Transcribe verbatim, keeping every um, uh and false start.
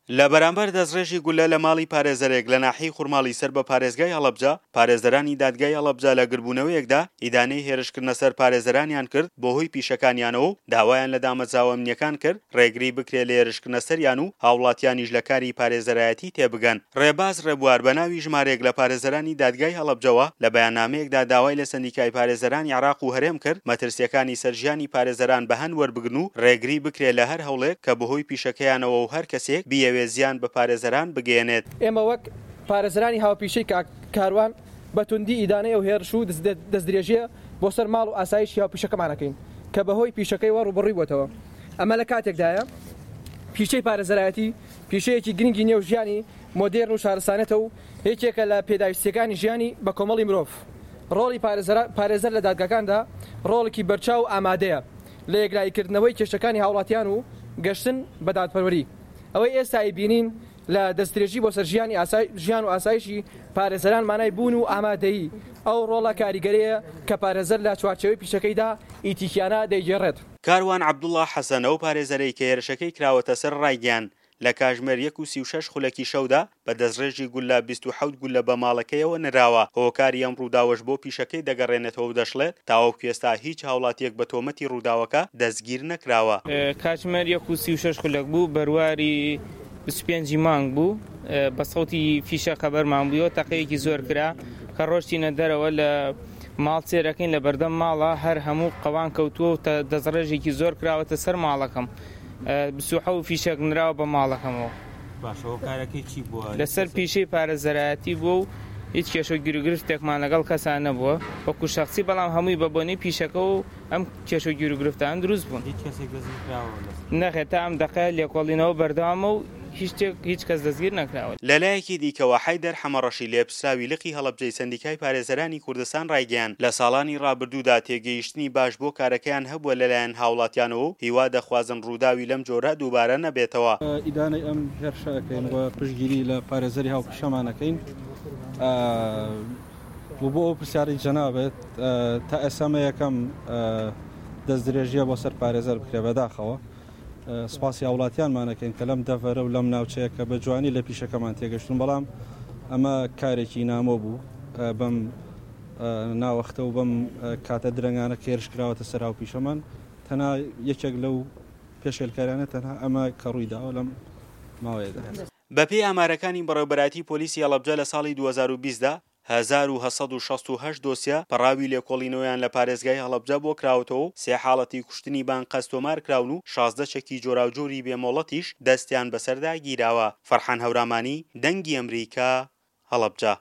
لە بەرامبەر دەستڕێژی گوللە لە ماڵی پارێزەرێک لە ناحیەی خورماڵی سەر بە پارێزگای هەڵەبجە، پارێزەرانی دادگای هەڵەبجە لە گردبوونەوەیەکدا ئیدانەی هێرشکردنە سەر پارێزەرانیان کرد بەهۆی پیشەکانیانەوە و داوایان لە دامەزراوە ئەمنییەکان کرد ڕێگری بکرێت لە هێرشکردنە سەریان و هاوڵاتیانیش لە کاری پارێزەرایەتی تێبگەن. ڕێباز ڕێبوار بە ناوی ژمارەیەک لە پارێزەرانی دادگای هەڵەبجەوە لە بەیاننامەیەکدا داوای لە سەندیکای پارێزەرانی عێراق و هەرێم کرد مەترسییەکانی سەر ژیانی پارێزەران بە هەند وەربگرن و ڕێگری بکرێت لە هەر هەوڵێک کە بەهۆی پیشەکەیانەوە و هەر کەسێک بیەوێت زیان بە پارێزەران بگەیەنێت. ئێمە وەک پارێزەرانی هاوپیشەی کاک کاروان بە توندی ئیدانەی ئەو هێرش و دەستدرێژییە بۆ سەر ماڵ و ئاسایشی هاوپیشەکەمان ئەکەین کە بەهۆی پیشەکەیەوە ڕووبەڕووی بووەتەوە. ئەمە لە کاتێکدایە پیشەی پارێزەرایەتی پیشەیەکی گرنگی نێو ژیانی مۆدێرن و شارستانێتە و یەکێکە لە پێداویستییەکانی ژیانی بەکۆمەڵی مرۆڤ. ڕۆڵی پارێزەر لە دادگاکاندا ڕۆڵێکی بەرچاو و ئامادەیە لە یەکلاییکردنەوەی کێشەکانی هاوڵاتیان و گەشتن بە دادپەروەری. ئەوەی ئێستا ئەیبینین لە دەستدرێژی بۆ سەر ژیانی ژیان و ئاسایشی پارێزەران مانای بوون و ئامادەیی ئەو ڕۆڵە کاریگەرەیە کە پارێزەر لە چوارچێوەی پیشەکەیدا ئیتیکیانە دەیگێڕێت. کاروان عەبدوڵا حەسەن، ئەو پارێزەرەی کە هێرشەکەی کراوەتە سەر ڕایگەیاند، لە کاژمێر یەک و سی و شەش خولەکی شەودا بە دەستڕێژی گوللە بیست و حەوت گوللە بە ماڵەکەیەوە نراوە، هۆکاری ئەم ڕووداوەش بۆ پیشەکەی دەگەڕێنێتەوە و دەشڵێت، تاوەکو ئێستا هیچ هاوڵاتییەک بە تۆمەتی ڕووداوەکە دەستگیر نەکراوە. کاتژمێر یەک و سی و شەش خولەک بوو، بەرواری بیست و پێنج ی مانگ بوو، بە سەوتی فیشەک خەبەرمان بوویەوە، تەقەیەکی زۆر کرا، کە ڕۆشتینە دەرەوە لە ماڵ سێرەکەین لە بەردەم ماڵە هەر هەموو قەوان کەوتووە و دەستڕێژێکی زۆر کراوەتە سەر ماڵەکەم، بیست و حەوت فیشەک نراوە بە ماڵەکەمەوە. باشە هۆکارەکەی چی بووە؟ لەسەر پیشەی پارێزەرایەتی بووە و هیچ کێشە و گیروگرفتێکمان لەگەڵ کەسا نەبووە وەکو شەخسی، بەڵام هەمووی بە بۆنەی پیشەکە و ئەم کێشە و گیروگرفتانە دروست بوون. هیچ کەسێک دەستگیر کراوە لەسەر؟ نەخێر تا ئەم دەقەیە لێکۆڵینەوە بەردەوامە و هیچ شتێک هیچ کەس دەستگیر نەکراوە. لەلایەکی دیکەوە، حەیدەر حەمەڕەشی لێپرسراوی لقی هەڵەبجەی سەندیکای پارێزەرانی کوردستان ڕایگەیاند، لە ساڵانی ڕابردوودا تێگەیشتنی باش بۆ کارەکەیان هەبووە لەلایەن هاوڵاتیانەوە و هیوا دەخوازن ڕووداوی لەم جۆرە دووبارە نەبێتەوە. ئیدانەی ئەم هێرشە ئەکەین و پشتگیری لە پارێزەری هاوپیشەمان ئەکەین و بۆ ئەو پرسیارەی جەنابت تا ئێستا مە یەکەم دەستدرێژیە بۆ سەر پارێزەر بکرێ بەداخەوە سپاسی هاوڵاتیانمان ئەکەین کە لەم دەڤەرە و لەم ناوچەیە کە بە جوانی لە پیشەکەمان تێگەشتون، بەڵام ئەمە کارێکی نامۆ بوو بەم ناوەختە و بەم کاتە درەنگانە کە هێرش کراوەتە سەر هاوپیشەمان، تەنها یەکێک لەو پێشێلکاریانە تەنها ئەمە کە ڕووی داوە لەم ماوەیەدا. بەپێی ئامارەکانی بەڕێوەبەرایەتی پۆلیسی هەڵەبجە لە ساڵی دوو هەزار و بیست دا هەزار و هەشت سەد و شەست و هەشت دۆسیە پەڕاوی لێکۆڵینەوەیان لە پارێزگای هەڵەبجە بۆ کراوەتەوە و سێ حاڵەتی کوشتنی بە ئەنقەست تۆمارکراون و شازدە چەکی جۆراوجۆری بێ مۆڵەتیش دەستیان بەسەردا گیراوە. فەرحان هەورامانی، دەنگی ئەمریکا، هەڵەبجە.